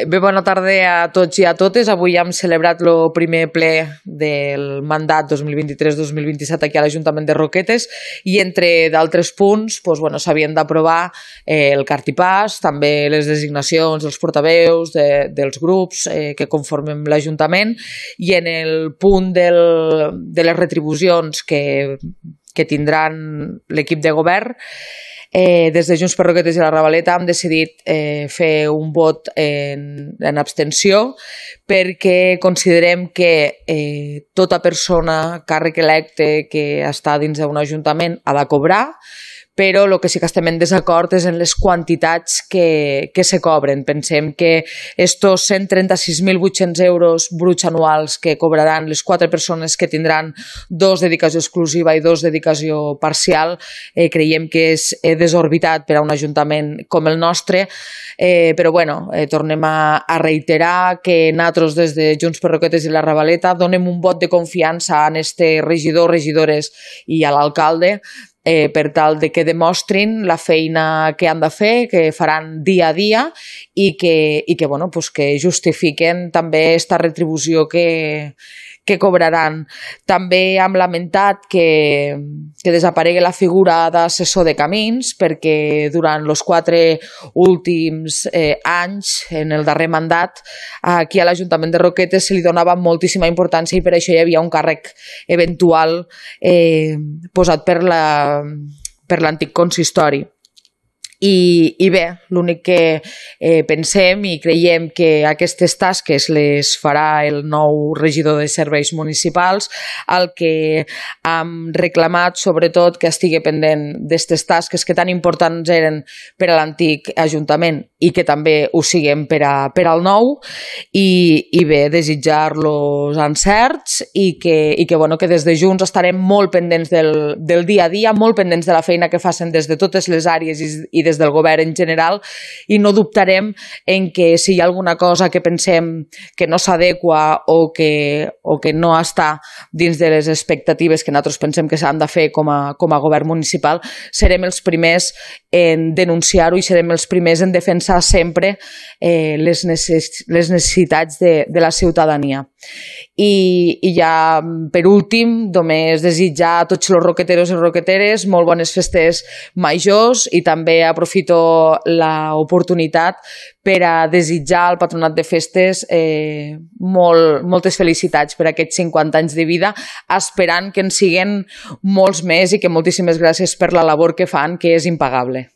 Bé, bona tarda a tots i a totes. Avui hem celebrat el primer ple del mandat 2023-2027 aquí a l'Ajuntament de Roquetes i entre d'altres punts s'havien d'aprovar el cartipàs, també les designacions dels portaveus dels grups que conformem l'Ajuntament, i en el punt de les retribucions que tindran l'equip de govern, des de Junts per Roquetes i la Ravaleta hem decidit fer un vot en abstenció perquè considerem que tota persona, càrrec electe que està dins d'un ajuntament ha de cobrar, però el que sí que estem en desacord és en les quantitats que se cobren. Pensem que estos 136.800 euros bruts anuals que cobraran les 4 persones que tindran 2 dedicació exclusiva i 2 dedicació parcial, creiem que és desorbitat per a un ajuntament com el nostre, però tornem a reiterar que nosaltres des de Junts per Roquetes i la Ravaleta donem un vot de confiança a este regidor, regidores i a l'alcalde, per tal de que demostrin la feina que han de fer, que faran dia a dia i que justifiquen també aquesta retribució que cobraran. També hem lamentat que desaparegui la figura d'assessor de camins, perquè durant els 4 últims anys, en el darrer mandat, aquí a l'Ajuntament de Roquetes se li donava moltíssima importància i per això hi havia un càrrec eventual posat per l'antic consistori. I bé, l'únic que pensem i creiem que aquestes tasques les farà el nou regidor de serveis municipals. El que hem reclamat sobretot que estigui pendent d'aquestes tasques que tan importants eren per a l'antic Ajuntament i que també ho siguin per al nou, i bé, desitjar-los encerts i que des de Junts estarem molt pendents del dia a dia, molt pendents de la feina que facin des de totes les àrees i des del govern en general, i no dubtarem en que si hi ha alguna cosa que pensem que no s'adequa o que no està dins de les expectatives que nosaltres pensem que s'han de fer com a govern municipal, serem els primers en denunciar-ho i serem els primers en defensar sempre les necessitats de la ciutadania. I ja per últim només desitjar a tots els roqueteros i roqueteres molt bones festes majors, i també aprofito l'oportunitat per a desitjar al Patronat de Festes moltes felicitats per aquests 50 anys de vida, esperant que en siguen molts més i que moltíssimes gràcies per la labor que fan, que és impagable.